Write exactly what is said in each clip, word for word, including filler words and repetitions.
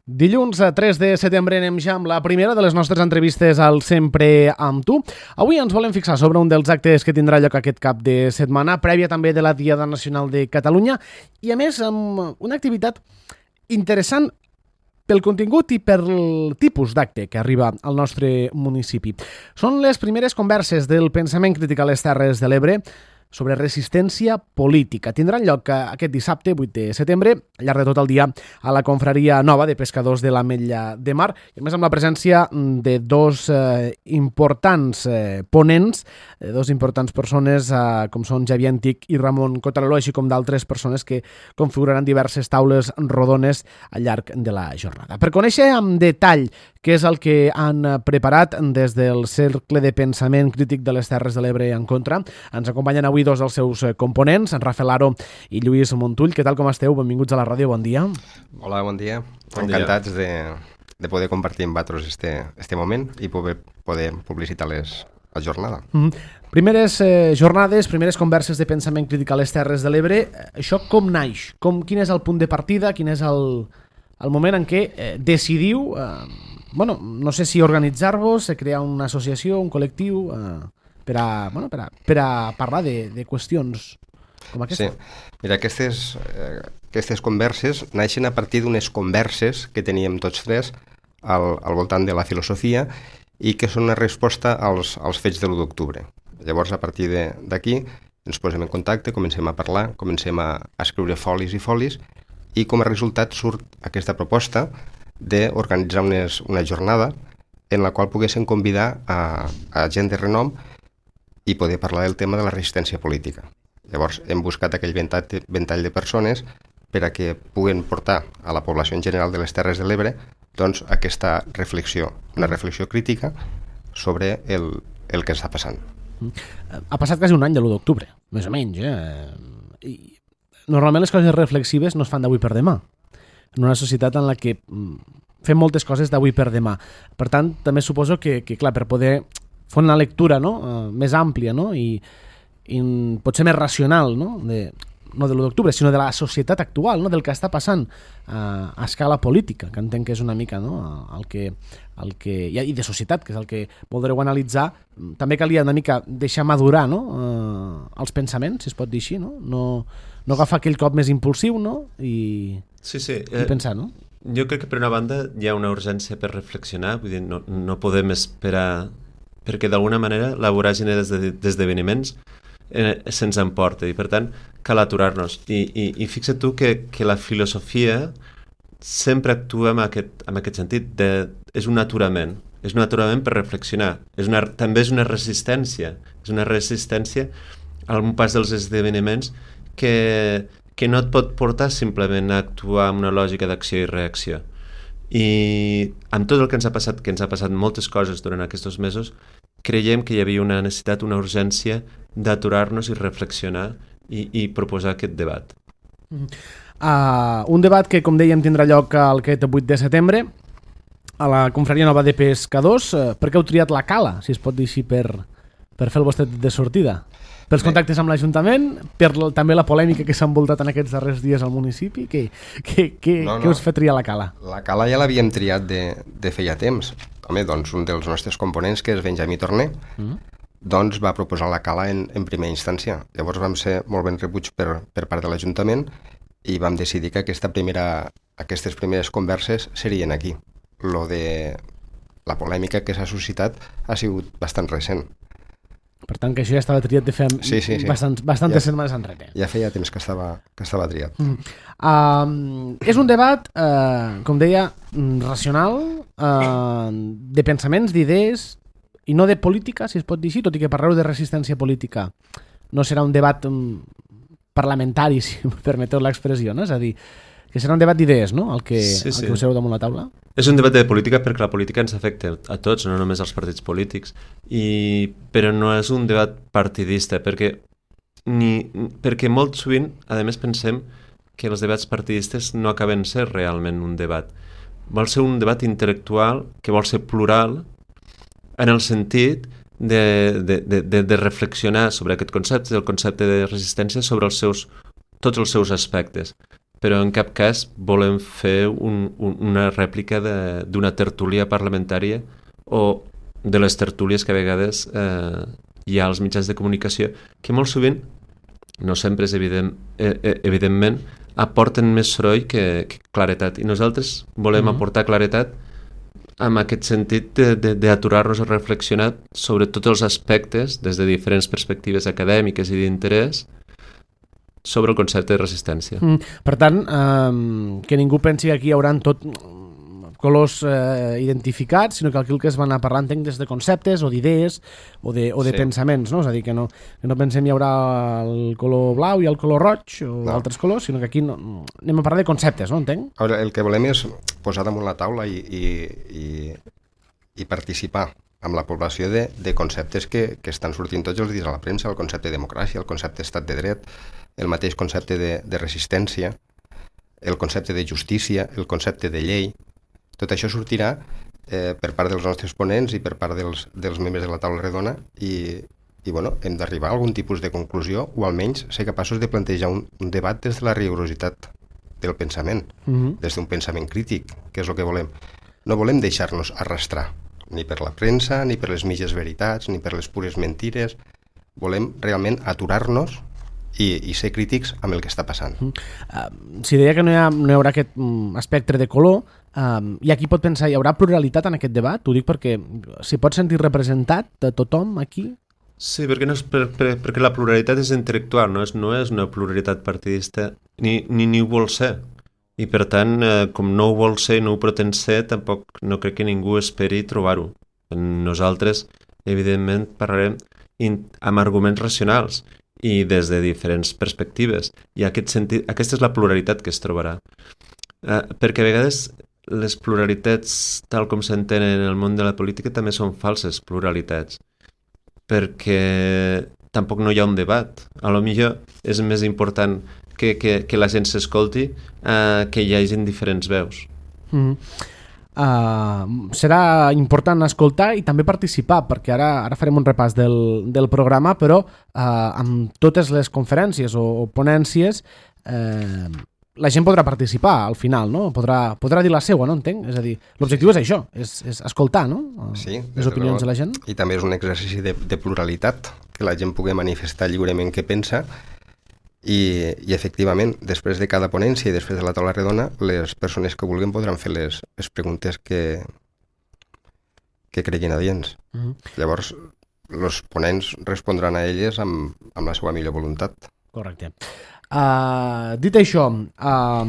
Dilluns tres de setembre anem ja amb la primera de les nostres entrevistes al Sempre amb tu. Avui ens volem fixar sobre un dels actes que tindrà lloc aquest cap de setmana, prèvia també de la Diada Nacional de Catalunya, i a més amb una activitat interessant pel contingut i pel tipus d'acte que arriba al nostre municipi. Són les primeres converses del pensament crític a les Terres de l'Ebre sobre resistència política. Tindran lloc aquest dissabte, vuit de setembre, al llarg de tot el dia, a la Confraria Nova de Pescadors de l'Ametlla de Mar, i a més amb la presència de dos eh, importants eh, ponents, de dos importants persones, eh, com són Xavier Antic i Ramon Cotareló, així com d'altres persones que configuraran diverses taules rodones al llarg de la jornada. Per conèixer amb detall què és el que han preparat des del Cercle de Pensament Crític de les Terres de l'Ebre en Contra, ens acompanyen avui dos dels seus components, en Rafael Aro i Lluís Montull. Què tal, com esteu? Benvinguts a la ràdio, bon dia. Hola, bon dia. Bon Encantats dia. de, de poder compartir amb vosaltres este, este moment i poder, poder publicitar les, la jornada. Mm-hmm. Primeres eh, jornades, primeres converses de pensament crític a les Terres de l'Ebre. Això com naix? Com, quin és el punt de partida? Quin és el, el moment en què eh, decidiu, eh, bueno, no sé si organitzar-vos, crear una associació, un col·lectiu, eh, per a, bueno, per a, per a parlar de, de qüestions com aquesta? Sí, mira, aquestes, eh, aquestes converses naixen a partir d'unes converses que teníem tots tres al, al voltant de la filosofia i que són una resposta als, als fets de l'u d'octubre. Llavors, a partir d'aquí, ens posem en contacte, comencem a parlar, comencem a, a escriure folis i folis, i com a resultat surt aquesta proposta d'organitzar unes, una jornada en la qual poguessin convidar a, a gent de renom i poder parlar del tema de la resistència política. Llavors hem buscat aquell ventall, ventall de persones per a que puguen portar a la població en general de les Terres de l'Ebre doncs, aquesta reflexió, una reflexió crítica sobre el, el que està passant. Ha passat quasi un any de l'u d'octubre, més o menys. Eh? I normalment les coses reflexives no es fan d'avui per demà, en una societat en la que fem moltes coses d'avui per demà. Per tant, també suposo que, que clar, per poder fer una lectura, no? uh, més àmplia, no? I, i potser més racional, no? De, no de l'u d'octubre, sinó de la societat actual, no? Del que està passant uh, a escala política, que entenc que és una mica, no? el que, el que, i de societat, que és el que voldreu analitzar. També calia una mica deixar madurar, no? uh, els pensaments, si es pot dir així, no? No, no agafar aquell cop més impulsiu, no? I, sí, sí. i eh, pensar, no? Jo crec que per una banda hi ha una urgència per reflexionar, vull dir, no, no podem esperar perquè d'alguna manera la voràgine d'esdeveniments eh, se'ns emporta i per tant cal aturar-nos. I, i, i fixa't tu que, que la filosofia sempre actua en aquest, en aquest sentit, de, és un aturament, és un aturament per reflexionar, és una, també és una resistència, és una resistència al pas dels esdeveniments que, que no et pot portar simplement a actuar amb una lògica d'acció i reacció. I amb tot el que ens ha passat, que ens ha passat moltes coses durant aquests mesos, creiem que hi havia una necessitat, una urgència d'aturar-nos i reflexionar i, i proposar aquest debat. Uh, un debat que, com dèiem, tindrà lloc aquest vuit de setembre a la Confraria Nova de Pescadors. Uh, per què heu triat la Cala, si es pot dir així, per, per fer el vostre de sortida? Pels contactes amb l'Ajuntament, per la, també la polèmica que s'ha envoltat en aquests darrers dies al municipi, que, que, que, no, no. que us fa triar la Cala? La Cala ja l'havíem triat de, de feia temps. Home, doncs un dels nostres components, que és Benjamí Torner, mm. doncs va proposar la Cala en, en primera instància. Llavors vam ser molt ben rebuts per, per part de l'Ajuntament i vam decidir que aquesta primera, aquestes primeres converses serien aquí. Lo de la polèmica que s'ha suscitat ha sigut bastant recent. Per tant, que això ja estava triat de fer sí, sí, sí. bastant, bastantes ja, setmanes enrere. Ja feia temps que estava, que estava triat. Mm. Uh, és un debat, uh, com deia, racional, uh, de pensaments, d'idees, i no de política, si es pot dir així, tot i que parleu de resistència política. No serà un debat um, parlamentari, si em permeteu l'expressió, no? És a dir, que serà un debat d'idees, no?, el que, sí, sí. el que poseu damunt la taula. És un debat de política perquè la política ens afecta a tots, no només als partits polítics, i, però no és un debat partidista, perquè, ni, perquè molt sovint, a més, pensem que els debats partidistes no acaben ser realment un debat. Vol ser un debat intel·lectual que vol ser plural en el sentit de, de, de, de, de reflexionar sobre aquest concepte, el concepte de resistència, sobre els seus, tots els seus aspectes. però en cap cas volem fer un, un, una rèplica d'una tertúlia parlamentària o de les tertúlies que a vegades eh, hi ha als mitjans de comunicació, que molt sovint, no sempre és evident, eh, evidentment, aporten més soroll que, que claretat. I nosaltres volem mm-hmm. aportar claretat amb aquest sentit d'aturar-nos a reflexionar sobre tots els aspectes, des de diferents perspectives acadèmiques i d'interès, sobre el concepte de resistència. Mm, per tant, eh, que ningú pensi que aquí hi haurà tot colors eh, identificats, sinó que aquí el que es va anar parlant entenc des de conceptes o d'idees o de, o de sí. pensaments, no? És a dir, que no, que no pensem hi haurà el color blau i el color roig o no. altres colors, sinó que aquí no, anem a parlar de conceptes, no? Entenc? Ara, el que volem és posar damunt la taula i, i, i, i participar amb la població de, de conceptes que, que estan sortint tots els dies a la premsa, el concepte de democràcia, el concepte d'estat de dret, el mateix concepte de, de resistència, el concepte de justícia, el concepte de llei. Tot això sortirà eh, per part dels nostres ponents i per part dels, dels membres de la taula redona i, i bueno, hem d'arribar a algun tipus de conclusió o almenys ser capaços de plantejar un, un debat des de la rigorositat del pensament, mm-hmm. des d'un pensament crític, que és el que volem. No volem deixar-nos arrastrar, ni per la premsa, ni per les mitges veritats, ni per les pures mentires. Volem realment aturar-nos I, i ser crítics amb el que està passant. Uh, si deia que no hi, ha, no hi haurà aquest um, espectre de color, um, i aquí pot pensar, hi haurà pluralitat en aquest debat? Ho dic perquè s'hi pot sentir representat de tothom aquí? Sí, perquè, no és per, per, perquè la pluralitat és intel·lectual, no és, no és una pluralitat partidista, ni, ni, ni ho vol ser. I per tant, eh, com no ho vol ser i no ho pretén ser, tampoc no crec que ningú esperi trobar-ho. Nosaltres, evidentment, parlarem in, amb arguments racionals, i des de diferents perspectives. I aquest sentit, aquesta és la pluralitat que es trobarà. Eh, perquè a vegades les pluralitats, tal com s'entenen en el món de la política, també són falses pluralitats. Perquè tampoc no hi ha un debat. A lo millor és més important que, que, que la gent s'escolti eh, que hi hagin diferents veus. Mm-hmm. Uh, serà important escoltar i també participar, perquè ara, ara farem un repàs del, del programa, però uh, amb totes les conferències o, o ponències uh, la gent podrà participar al final, no? Podrà, podrà dir la seua, no entenc? És a dir, l'objectiu és això, és, és escoltar, no? Uh, sí, les opinions de la gent. I també és un exercici de, de pluralitat, que la gent pugui manifestar lliurement què pensa. I, i efectivament, després de cada ponència i després de la taula redona, les persones que vulguin podran fer les, les preguntes que, que creguin adients. Uh-huh. Llavors, els ponents respondran a elles amb, amb la seva millor voluntat. Correcte. Uh, dit això, uh,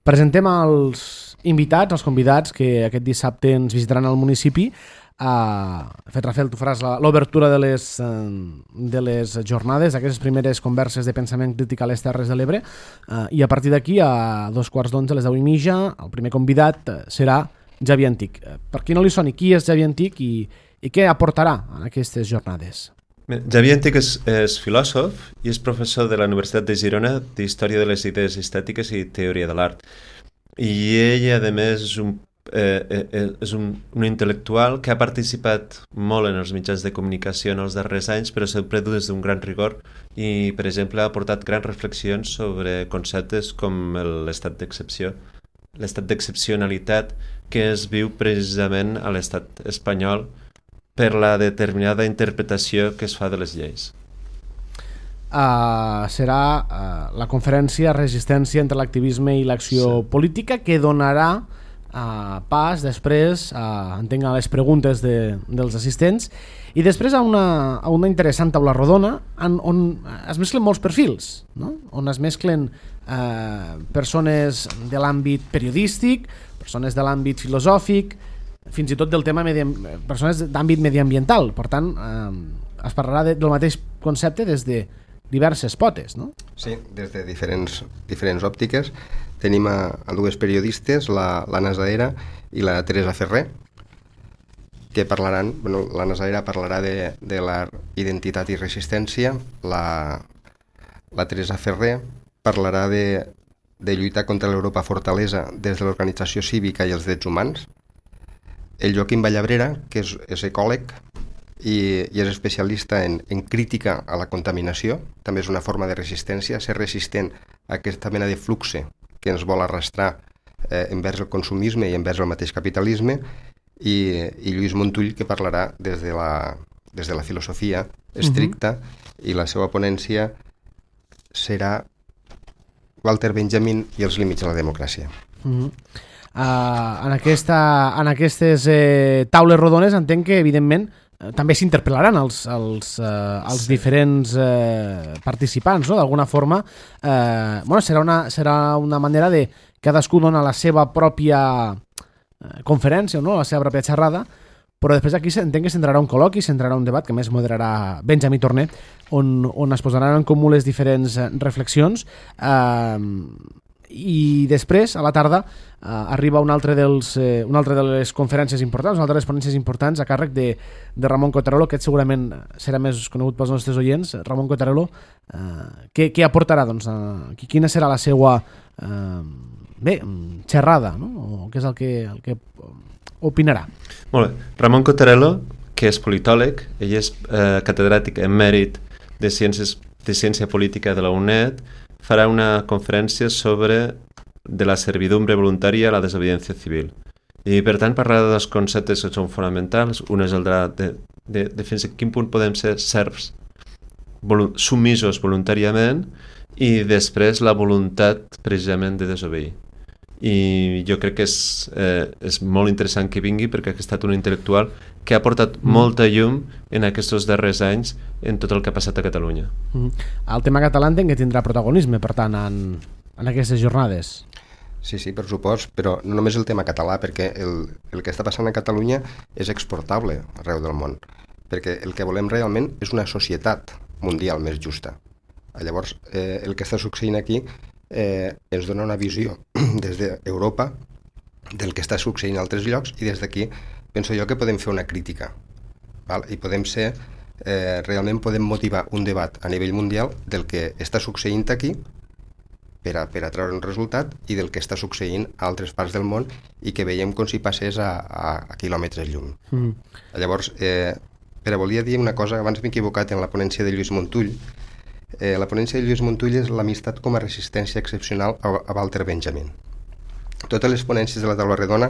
presentem els invitats, els convidats que aquest dissabte ens visitaran al municipi. Uh, fet Rafael, tu faràs l'obertura de, les, uh, de les jornades, aquestes primeres converses de pensament crític a les Terres de l'Ebre, uh, i a partir d'aquí, a dos quarts d'onze, a les deu i mitja, el primer convidat uh, serà Javi Antich. Uh, per qui no li soni, qui és Javi Antich i, i què aportarà en aquestes jornades? Javi Antich és, és filòsof i és professor de la Universitat de Girona d'Història de les Idees Estètiques i Teoria de l'Art. I ell, a més, és un Eh, eh, és un, un intel·lectual que ha participat molt en els mitjans de comunicació en els darrers anys, però sempre des d'un gran rigor i, per exemple, ha aportat grans reflexions sobre conceptes com l'estat d'excepció, l'estat d'excepcionalitat que es viu precisament a l'estat espanyol per la determinada interpretació que es fa de les lleis. Uh, serà uh, la conferència Resistència entre l'activisme i l'acció sí. política, que donarà Uh, pas després uh, entenc a les preguntes de, dels assistents i després a una, a una interessant taula rodona en, on es mesclen molts perfils, no? On es mesclen uh, persones de l'àmbit periodístic, persones de l'àmbit filosòfic, fins i tot del tema medi... persones d'àmbit mediambiental. Per tant, uh, es parlarà de, del mateix concepte des de diverses potes, no? Sí, des de diferents, diferents òptiques. Tenim a, a dues periodistes, la, l'Anna Zahera i la Teresa Ferrer, que parlaran, bueno, l'Anna Zahera parlarà de, de la identitat i resistència, la, la Teresa Ferrer parlarà de, de lluitar contra l'Europa fortalesa des de l'organització cívica i els drets humans. El Joaquim Vallabrera, que és, és ecòleg, i, i és especialista en, en crítica a la contaminació, també és una forma de resistència, ser resistent a aquesta mena de fluxe que ens vol arrastrar eh, envers el consumisme i envers el mateix capitalisme, i, i Lluís Montull, que parlarà des de la, des de la filosofia estricta, uh-huh. i la seva ponència serà Walter Benjamin i els límits de la democràcia. Uh-huh. Uh, en, aquesta, en aquestes eh, taules rodones entenc que, evidentment, també s'interpel·laran els, els, eh, els sí. diferents eh, participants, no? D'alguna forma eh, bueno, serà, una, serà una manera de cadascú dona la seva pròpia eh, conferència, no? La seva pròpia xerrada, però després aquí entenc que s'entrarà un col·loqui, s'entrarà un debat que més moderarà Benjamí Torner, on, on es posaran en comú les diferents reflexions, eh, i després, a la tarda, eh, arriba un altre, dels, eh, una altra de les conferències importants, una altra de les ponències importants a càrrec de, de Ramon Cottarello, que segurament serà més conegut pels nostres oients. Ramon Cottarello, eh, què, què aportarà? Doncs, eh, quina serà la seva eh, bé, xerrada, no? O què és el que, el que opinarà? Molt bé. Ramon Cottarello, que és politòleg, ell és eh, catedràtic emèrit de, ciències, de Ciència Política de la UNED, farà una conferència sobre de la servidumbre voluntària a la desobediència civil. I, per tant, parlarà de dos conceptes que són fonamentals. Un és el de, de, de, de fins a quin punt podem ser serfs volu submisos voluntàriament, i després la voluntat, precisament, de desobeir. I jo crec que és, eh, és molt interessant que vingui, perquè ha estat un intel·lectual que ha portat mm. molta llum en aquests darrers anys en tot el que ha passat a Catalunya. Mm. El tema català entenc que tindrà protagonisme, per tant, en, en aquestes jornades. Sí, sí, per supost, però no només el tema català, perquè el, el que està passant a Catalunya és exportable arreu del món, perquè el que volem realment és una societat mundial més justa. Llavors, eh, el que està succeint aquí eh, ens dona una visió des d'Europa del que està succeint a altres llocs, i des d'aquí penso jo que podem fer una crítica, val? I podem ser, eh, realment podem motivar un debat a nivell mundial del que està succeint aquí per a, per a treure un resultat, i del que està succeint a altres parts del món i que veiem com si passés a, a, a quilòmetres llum. Mm. Llavors, eh, però volia dir una cosa, abans m'he equivocat en la ponència de Lluís Montull. Eh, la ponència de Lluís Montull és l'amistat com a resistència excepcional a, a Walter Benjamin. Totes les ponències de la taula redona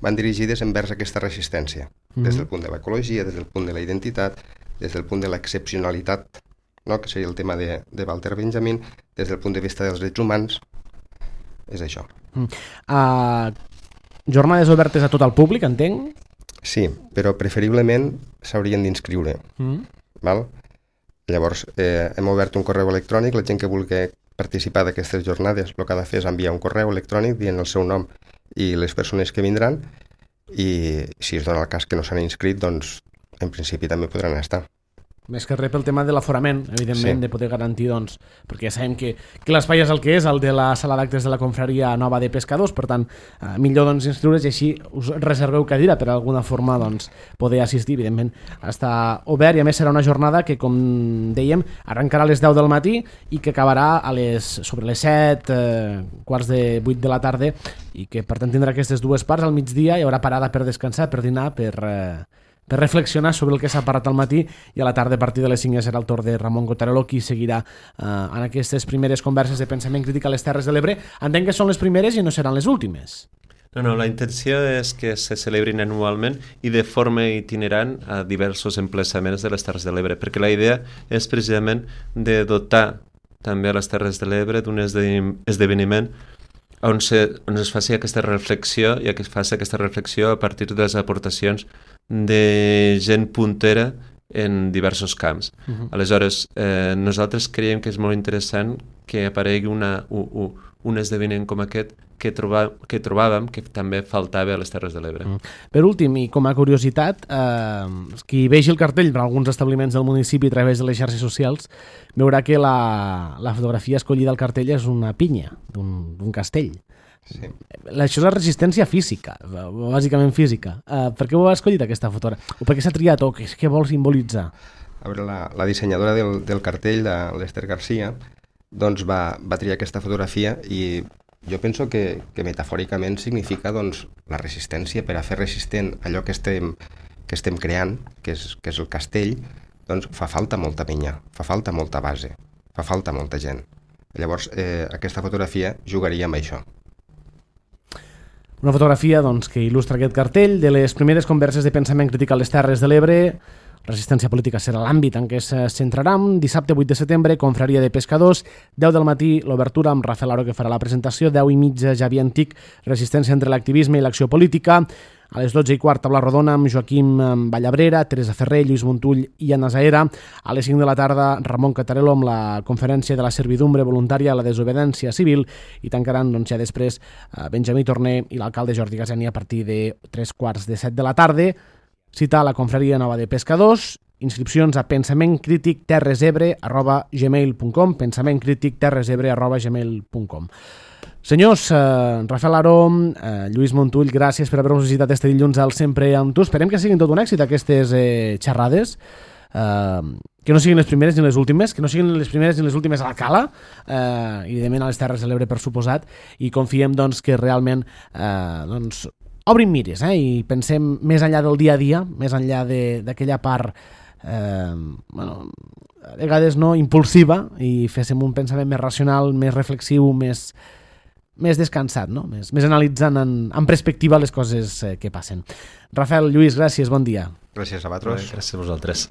van dirigides envers aquesta resistència, mm-hmm. des del punt de l'ecologia, des del punt de la identitat, des del punt de l'excepcionalitat, no? Que seria el tema de, de Walter Benjamin, des del punt de vista dels drets humans. És això. Mm. Uh, jornades obertes a tot el públic, entenc? Sí, però preferiblement s'haurien d'inscriure. Mm. Val? Llavors, eh, hem obert un correu electrònic, la gent que vulgui participar d'aquestes jornades el que ha de fer és enviar un correu electrònic dient el seu nom i les persones que vindran, i si es dona el cas que no s'han inscrit, doncs en principi també podran estar. Més que res pel tema de l'aforament, evidentment, sí. De poder garantir, doncs, perquè ja sabem que, que l'espai és el que és, el de la sala d'actes de la Confraria Nova de Pescadors, per tant, eh, millor doncs, inscriure's i així us reserveu cadira per alguna forma doncs, poder assistir, evidentment, està obert, i a més serà una jornada que, com dèiem, arrencarà a les deu del matí i que acabarà a les, sobre les set, eh, quarts de vuit de la tarda, i que per tant tindrà aquestes dues parts. Al migdia hi haurà parada per descansar, per dinar, per... Eh, per reflexionar sobre el que s'ha parlat al matí, i a la tarda a partir de les cinc serà el torn de Ramon Cottarello, qui seguirà eh, en aquestes primeres converses de pensament crític a les Terres de l'Ebre. Entenc que són les primeres i no seran les últimes. No, no, la intenció és que se celebrin anualment i de forma itinerant a diversos emplaçaments de les Terres de l'Ebre, perquè la idea és precisament de dotar també a les Terres de l'Ebre d'un esdeveniment on, se, on es faci aquesta reflexió, i que es faci aquesta reflexió a partir de les aportacions de gent puntera en diversos camps. Uh-huh. Aleshores, eh, nosaltres creiem que és molt interessant que aparegui una, un, un esdeveniment com aquest que, troba, que trobàvem que també faltava a les Terres de l'Ebre. Uh-huh. Per últim, i com a curiositat, eh, qui vegi el cartell per alguns establiments del municipi a través de les xarxes socials veurà que la, la fotografia escollida al cartell és una pinya d'un castell. Sí. Això és la resistència física, bàsicament física. Uh, per què ho ha escollit aquesta fotografia? O per què s'ha triat? O què, què vol simbolitzar? A veure, la, la dissenyadora del, del cartell, de l'Ester Garcia, doncs va, va triar aquesta fotografia, i jo penso que, que metafòricament significa doncs, la resistència, per a fer resistent allò que estem que estem creant, que és, que és el castell, doncs fa falta molta penya, fa falta molta base, fa falta molta gent. Llavors, eh, aquesta fotografia jugaria amb això. Una fotografia doncs, que il·lustra aquest cartell de les primeres converses de pensament crític a les Terres de l'Ebre. Resistència política serà l'àmbit en què es centrarà. Dissabte vuit de setembre, confraria de pescadors, deu del matí, l'obertura amb Rafael Aro, que farà la presentació, deu i mitja, Javi Antic, resistència entre l'activisme i l'acció política. A les dotze i quart, taula rodona amb Joaquim Vallabrera, Teresa Ferrer, Lluís Montull i Anna Zaera. A les cinc de la tarda, Ramon Catarello amb la conferència de la servidumbre voluntària a la desobediència civil, i tancaran doncs, ja després Benjamí Torner i l'alcalde Jordi Gaseni a partir de tres quarts de set de la tarda. Cita a la confraria nova de pescadors. Inscripcions a pensamentcriticterresebre arroba gmail punt com, pensamentcriticterresebre arroba gmail punt com. Senyors, eh, Rafael Aro, eh, Lluís Montull, gràcies per haver-nos visitat este dilluns al Sempre amb tu. Esperem que siguin tot un èxit aquestes eh, xerrades, eh, que no siguin les primeres ni les últimes, que no siguin les primeres ni les últimes a la Cala, eh, i evidentment a les Terres de l'Ebre, per suposat, i confiem doncs, que realment eh, doncs, obrim mires, eh, i pensem més enllà del dia a dia, més enllà d'aquella part eh, bueno, a vegades no impulsiva, i féssim un pensament més racional, més reflexiu, més més descansat, no? més, més analitzant en, en perspectiva les coses eh, que passen. Rafael, Lluís, gràcies, bon dia. Gràcies a vosaltres. Gràcies a vosaltres.